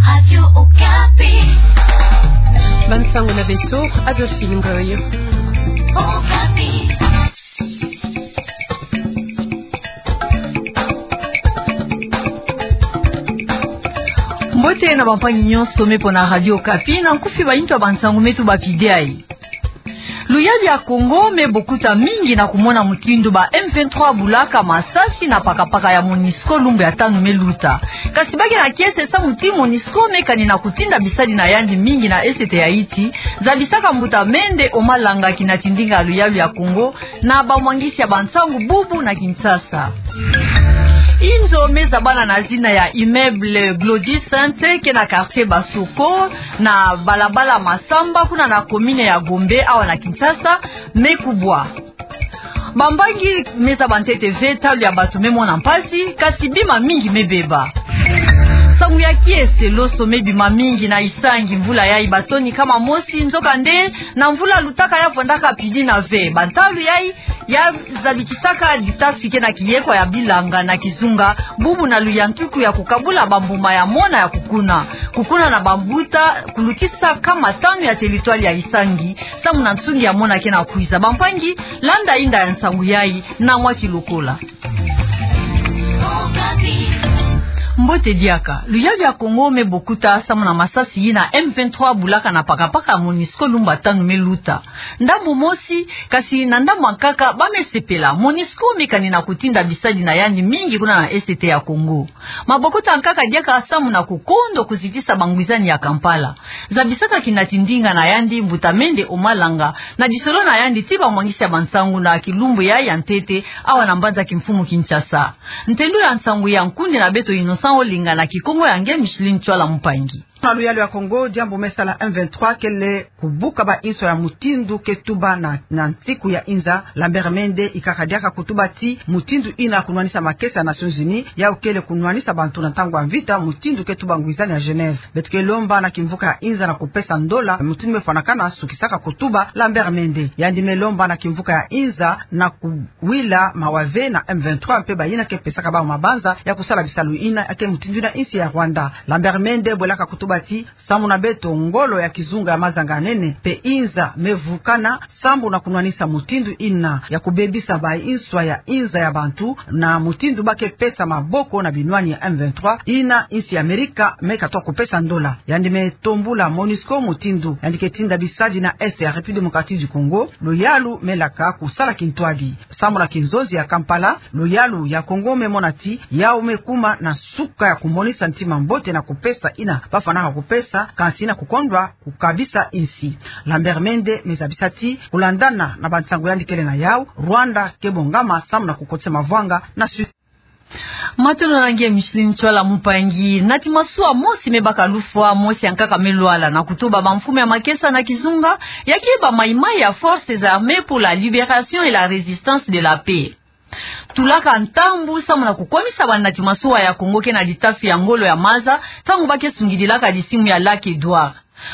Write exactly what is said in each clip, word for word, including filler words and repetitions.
Radio Okapi. Bansangu na beto, Adolphine Ngoy. Okapi. Mbote na bampangi nyonso me pona Radio Okapi, na nkufi bainto ya bansangu me tubapidi. Luyalu ya Kongo me bokuta mingi na kumona mutindu ba M vingt-trois bulaka masasi na pakapaka ya MONUSCO lumbu ya tanu me luta. Kasi ba ke na kiese samu ti MONUSCO me kani na kutinda bisadi na yandi mingi na Est ya Haïti, zabisaka mbuta Mende Omalanga, kina tindinga luyalu ya Kongo, na bamwangisi ya bansangu bubu na Kinshasa. Inzo me zabana na zina ya immeuble Glody Sainte, ke na quartier Basoko, na balabala Massamba, kuna na commune ya Gombe, awa na Kinshasa, me kubwa. Bambangi me zaba ntete ve, ntalu ya bato me mona mpasi, kasi bima mingi me beba. Samu ya kiese, loso me bima mingi na Isangi mvula yayi, batoni nkama mosi, nzokande, na mvula lutaka ya vwandaka pidi na ve. Bantalu yayi ya zabikisaka ditafi ke na kiyekwa ya bilanga na kizunga, bubu na luyantuku ya kukabula bambuma ya mona ya kukuna. Kukuna na bambuta, kulukisa nkama tanu ya territoire ya Isangi, samu na nsungi ya mona ke na kwiza. Bampangi, landa inda ya nsangu yayi na mwa kilokola. Mbote diaka. Luyalu ya Kongo me bokuta samu na masasi yina M vingt-trois bulaka na pakapaka ya MONUSCO lumbu ya tanu me luta. Ndambu mosi, kasi na ndambu ya nkaka, ba me sepela. MONUSCO me kani na kutinda bisadi na yandi mingi kuna na Est ya Kongo. Mabokuta ya nkaka diaka samu na kukondo kuzitisa bangwizani ya Kampala. Zabisaka kina tindinga na yandi mbuta Mende Omalanga, na disolo na yandi ti bamwangisi ya bansangu na kilumbu ya ya ntete, awa na mbanza kimfumu Kinshasa. Ntendu ya nsangu ya nkundi na beto Innocent Olenga, na Kikongo ya nge Micheline Tshoala Mpangi. Na luyalu ya Kongo, diambu me sala M vingt-trois kele kubuka bainso ya mutindu ke tuba na, na nsiku ya inza. Lambert Mende ikaka diaka kutuba ti mutindu yina kunwanisa makesa ya Nations Unies, yau kele kunwanisa bantu na ntangu ya mvita, mutindu ke tuba ngwizani ya Genève. Beto ke lomba na kimvuka ya inza na kupesa ndola, mutindu me fwanakana, sukisaka kutuba Lambert Mende. Yandi me lomba na kimvuka ya inza na kuwila mawa ve na M vingt-trois mpe bayina ke pesaka bau mabanza ya kusala bisalu yina, ya ke mutindu na insi ya Rwanda. Lambert Mende bwelaka kutuba ti, samu na beto, ngolo ya kizunga ya mazanga nene mpe inza me vukana, sambu na kunwanisa mutindu yina ya kubebisa bainso ya inza ya bantu, na mutindu ba ke pesa maboko na binwani ya M vingt-trois, yina insi ya Amerika me katuka kupesa ndola. Yandi me tombula MONUSCO mutindu yandi ke tinda bisadi na Est ya République Démocratique du Congo, luyalu me laka kusala kintwadi. Samu na kinzonzi ya Kampala, luyalu ya Kongo me mona ti yau me kuma na suka ya kumonisa ntima mbote na kupesa yina ba fwanaka kupesa, kansi na kukondwa kukabisa insi. Lambert Mende me zabisa ti, kulandana na bansangu yandi kele na yau, Rwanda ke bongama samu na kukotisa mavwanga na Sud. Matondo na nge Micheline Tshoala Mpangi. Nati masuwa mosi me baka lufwa, mosi ya nkaka me lwala, na kutuba bamfumu ya makesa na kizunga, ya ke bamaimai ya Forces Armées pour la Libération et la Résistance de la Paix. Tulaka ntambu samu na kukomisa banati masuwa ya Kongo ke na litafi ya ngolo ya maza, ntangu ba ke sungidilaka lisimu ya Lac Edouard.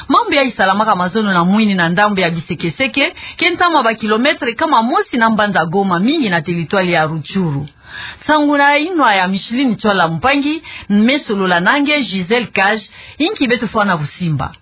Mambu yayi salamaka mazono na mwini na ndambu ya bisekeseke, ke ntama ba kilomètre nkama mosi na mbanza Goma, mingi na territoire ya Rutshuru. Nsangu na inwa ya Micheline Tshoala Mpangi, me solola na nge Gisèle Cage, inki beto fwana kusimba.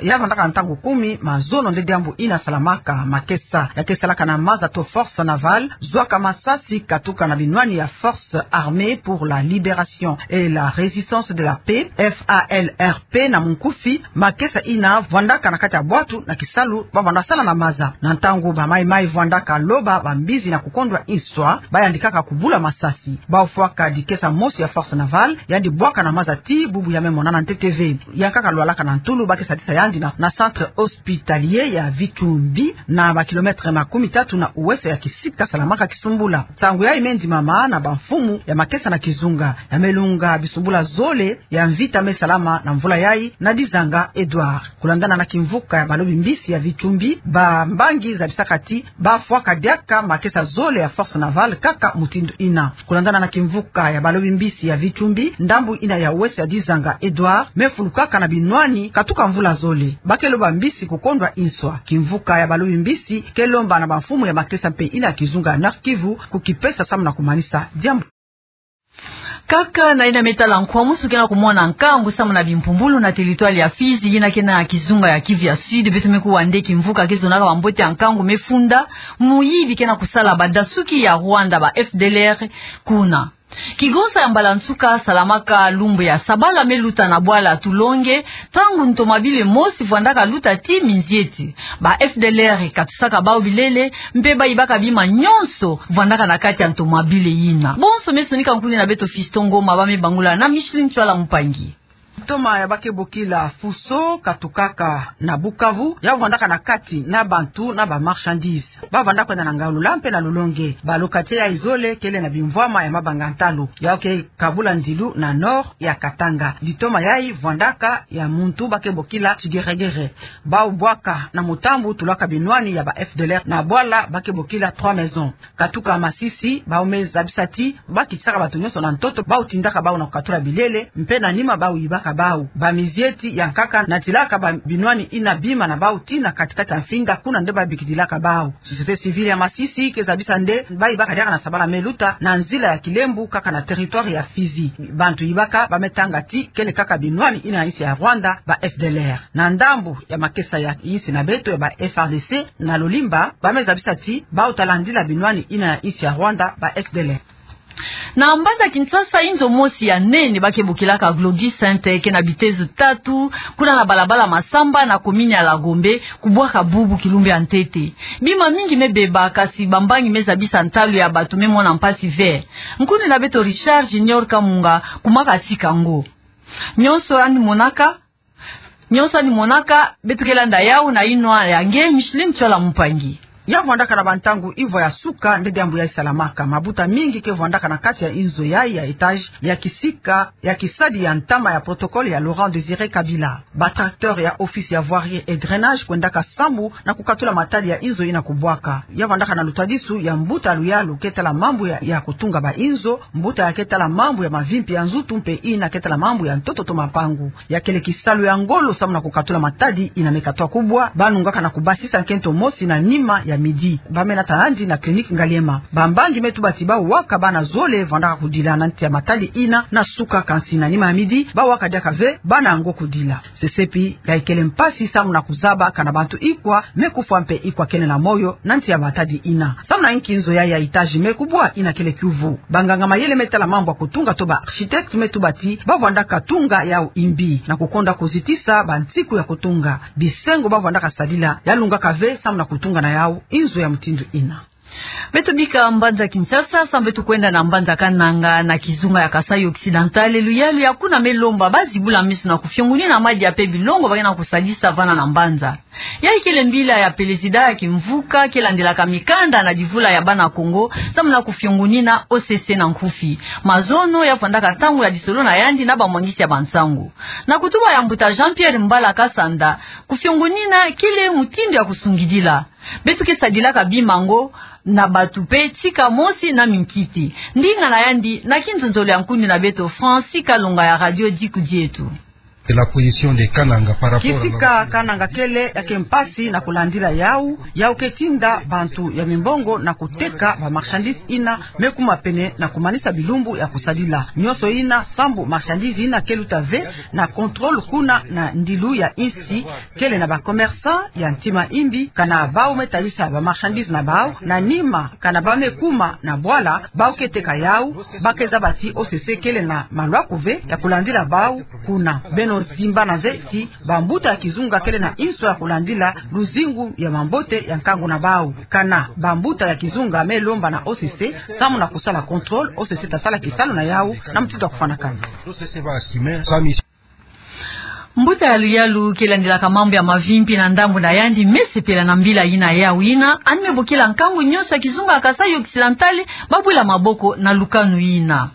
Ya vandaka ntangu kumi mazono nde diambu yina salamaka. Makesa ya ke salaka na maza to Force Navale zwaka masasi katuka na binwani ya Forces Armées pour la Libération et la Résistance de la Paix, F A L R P na munkufi. Makesa yina vwandaka na kati ya bwatu na kisalu ba vwanda sala na maza. Na ntangu bamaimai vwandaka loba bambizi na kukondwa inso, ba yandikaka kubula masasi. Bau fwaka dikesa mosi ya Force Navale, yandi bwaka na maza ti bubu ya me monana ntete ve. Ya nkaka lwalaka na ntulu, ba ke sadisa yandi na, na centre hospitalier ya Vitumbi, na ba kilomètre makumi tatu na uwese ya kisika salamaka Kisumbula. Nsangu yayi me ndimama na bamfumu ya makesa na kizunga. Ya me lunga bisumbula zole ya mvita me salama na mvula yayi na Dizanga Edouard. Kulandana na kimvuka ya balobi mbisi ya Vitumbi, bambangi zabisaka ti ba fwaka diaka makesa zole ya Force Navale kaka mutindu yina. Kulandana na kimvuka ya balobi mbisi ya Vitumbi, ndambu yina ya uwese ya Dizanga Edouard me fulukaka na binwani katuka mvula zole. Ba ke loba mbisi kukondwa inso. Kimvuka ya balobi mbisi ke lomba na bamfumu ya makesa mpe yina ya kizunga ya Nord-Kivu kukipesa samu na kumanisa diambu. Kaka na yina me tala nkwa musu ke na kumona nkangu samu na bimpumbulu na territoire ya Fizi, yina ke na kizunga ya Kivu ya Sud, beto me kuwa nde kimvuka ke zonaka bambote ya nkangu me funda, muyibi ke na kusala badasuki ya Rwanda, ba F D L R, kuna. Kigonsa ya mbala nsuka salamaka lumbu ya sabala me luta na bwala Tulonge, ntangu ntomabile mosi vwandaka luta tii Minzieti. Ba F D L R katusaka bau bilele, mpe bayibaka bima nyonso vwandaka na kati ya ntomabile yina. Bonso me sonika nkundi na beto Fiston Ngoma, ba me bangula na Micheline Ntsoila Mpangi. Ntoma ya ba ke bokila Fuso katukaka na Bukavu, ya vwandaka na kati na bantu na ba marchandises. Ba vwanda kwenda na Ngaulula mpe na Lulonge. Ba locataires yayi zole kele na bimvwama ya mabanga ntalu. Yau ke kabula ndilu na nord ya Katanga. Litoma yayi vwandaka ya muntu ba ke bokila Tigeregere. Bau bwaka na mutambu tulaka binwani ya ba F D L R na bwala ba ke bokila Trois Maisons. Katuka Masisi, bau me zabisa ti ba kitisaka bato nyonso na ntoto, bau tindaka bau na kukatula bilele, mpe na nima bau yibaka bau. Ba Minzieti ya nkaka natilaka ba binwani yina bima na bau tii na kati-kati ya Mfinga, kuna nde ba bikidilaka bau. Société civile ya Masisi ke zabisa nde bayibaka diaka na sabala me luta na nzila ya Kilembo, kaka na territoire ya Fizi. Bantu yibaka ba me tanga ti kele kaka binwani yina ya insi ya Rwanda, ba F D L R. Na ndambu ya makesa ya insi na beto ya ba F A R D C na Lolimba, ba me zabisa ti bau ta landila binwani yina ya insi ya Rwanda, ba F D L R. Na mbanza Kinshasa, inzo mosi ya nene ba ke bokilaka Glody Center ke na bitezo tatu, kuna na balabala Massamba na commune ya La Gombe, kubwaka bubu kilumbu ya ntete. Bima mingi me beba, kasi bambangi me zabisa ntalu ya bato me mona mpasi ve. Nkundi na beto Richard Junior Kamunga, kuma katika ngo. Nyonso yandi monaka, nyonso yandi monaka, beto ke landa yau na yinwa ya nge Micheline Ntsoila Mpangi. Ya vwandaka na bantangu ivwa ya suka nde diambu yayi salamaka. Mabuta mingi ke vwandaka na kati ya inzo yayi ya étage ya kisika ya kisadi ya ntama ya protocole ya Laurent Désiré Kabila. Ba tracteurs ya office ya voirie et drainage kwendaka sambu na kukatula matadi ya inzo yina kubwaka. Ya vwandaka na lutadisu ya mbuta luyalu ke tala mambu ya, ya kutunga ba inzo, mbuta ya ke tala mambu ya mavimpi ya nzutu mpe yina ke tala mambu ya ntoto to mapangu. Ya kele kisalu ya ngolo samu na kukatula matadi yina me katwa kubwa. Ba nungaka na kubasisa nkento mosi na nima ya midi. Ba me nata yandi na clinique Ngaliema. Bambangi me tuba ti bau waka bana zole vwandaka kudila na nti ya matadi yina na suka, kansi na nima ya midi bau waka diaka ve bana yango kudila. Sesepi ya ikele mpasi samu na kuzaba kana bantu ikwa me kufwa mpe ikwa kele na moyo na nti ya matadi yina. Samu na inki nzo yayi ya étage me kubwa yina kele kiuvu. Banganga mayele me tala mambu ya kutunga to ba architectes me tuba ti ba vwandaka tunga yau imbi na kukonda kuzitisa bansiku ya kutunga. Bisengo ba vwandaka sadila ya lungaka ve samu na kutunga na yau inzo ya mutindu yina. Beto bika mbanza Kinshasa, samu beto kwenda na mbanza Kananga na kizunga ya Kasaï Occidental. Luyalu ya kuna me lomba ba zibula meso na kufiongonina madia mpe bilongo ba ke na kusadisa vana na mbanza. Ya ikele mbila ya pelezida ya kimvuka ke landelaka mikanda na divula ya bana Kongo, samu na kufiongonina O C C na nkufi. Mazono ya vwandaka ntangu ya lisolo na yandi na bamwangisi ya bansangu. Na kutuba ya mbuta Jean-Pierre Mbala Kasanda, kufiongonina kele mutindu ya kusungidila. Beto ke sadilaka bima ngo na bato mpe tika mosi na minkiti. Ndinga na yandi na kinzonzolo ya nkundi na beto Francis Kalonga ya Radio Diku Dieto. Et la position de Kananga par rapport à la... Kisika Kananga kele ya ke mpasi na kulandila yau, yau ke tinda bantu ya mimbongo na kuteka ba marchandises yina me kuma pene na kumanisa bilumbu ya kusadila. Nyonso yina sambu marchandises yina ke luta ve na contrôle kuna na ndilu ya insi kele na ba commerçants ya ntima imbi, kana bau me talisa ba marchandises na bau, na nima kana ba me kuma na bwala, bau ke teka yau, ba ke zaba ti O C C kele na malwaku ve ya kulandila bau kuna. Beno zimbana ve ti bambuta ya kizunga kele na inso ya kulandila luzingu ya mambote ya nkangu na bau. Kana bambuta ya kizunga me lomba na O C C samu na kusala contrôle, O C C ta sala kisalu na yau na mutindu ya kufwanakana. Mbuta ya luyalu ke landilaka mambu ya mavimpi na ndambu na yandi me sepela na mbila yina yau yina, yandi me bokila nkangu nyonso ya kizunga ya Kasaï Occidental ba bula maboko na lukanu yina.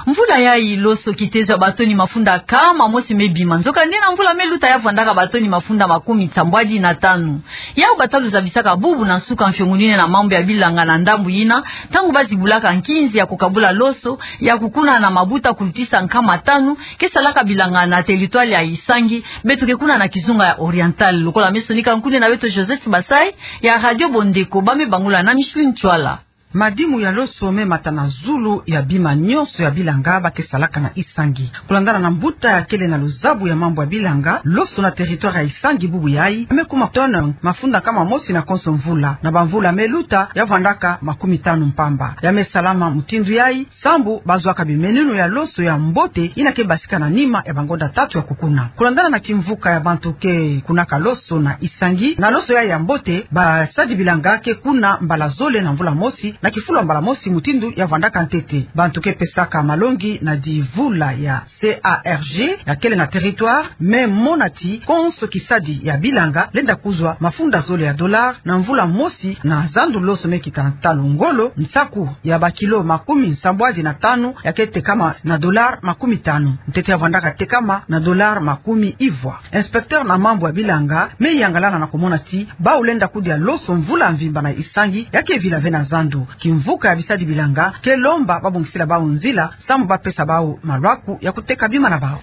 Mvula yayi loso kitezo ya batoni mafunda nkama mosi me bima. Nzokande na mvula me luta ya vwandaka batoni mafunda makumi nsambwadi na tanu. Yau bata luzabisaka bubu na nsuka mfiongonina na mambu ya bilanga na ndambu yina, ntangu ba zibulaka nkinzi ya kukabula loso, ya kukuna na mabuta kulutisa nkama tanu, ke salaka bilanga na territoire ya Isangi, beto ke kuna na kizunga ya Oriental. Lokola me sonika nkundi na beto Joseph Basai ya Radio Bondeko, ba me bangula na Micheline Ntsoila. Madimu ya loso me mata na zulu ya bima nyonso ya bilanga ba ke salaka na Isangi. Kulandana na mbuta ya kele na luzabu ya mambu ya bilanga loso na territoire ya Isangi bubu yayi, me kuma tonne mafunda nkama mosi na konso mvula, na bamvula me luta ya vandaka makumi tanu mpamba. Ya me salama mutindu yayi sambu ba zwaka bimenunu ya loso ya mbote ina ke basika na nima ya bangonda tatu ya kukuna. Kulandana na kimvuka ya bantu ke kunaka loso na Isangi, na loso yayi ya mbote, basadi bilanga ke kuna mbala zole na mvula mosi, na kifulu ya mbala mosi mutindu ya vandaka ntete. Bantu ke pesaka malongi na divula ya C A R G ya kele na territoire me mona ti konso kisadi ya bilanga lenda kuzwa mafunda zole ya dollar na mvula mosi, na zandu loso me kita ntalu ngolo, nsaku ya bakilo makumi nsambwadi na tanu ya ke tekama na dollar makumi tanu, ntete ya vandaka tekama na dollar makumi ivwa. Inspecteur na mambu ya bilanga me yangalala na kumona ti bau lenda kudia loso mvula mvimba na Isangi ya ke vila ve na zandu. Kimvuka ya bisadi bilanga ke lomba babongisila bau nzila sambu ba pesa bau malwaku ya kuteka bima na bau.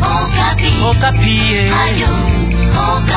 Okapi. Okapi, eh. Radio Okapi.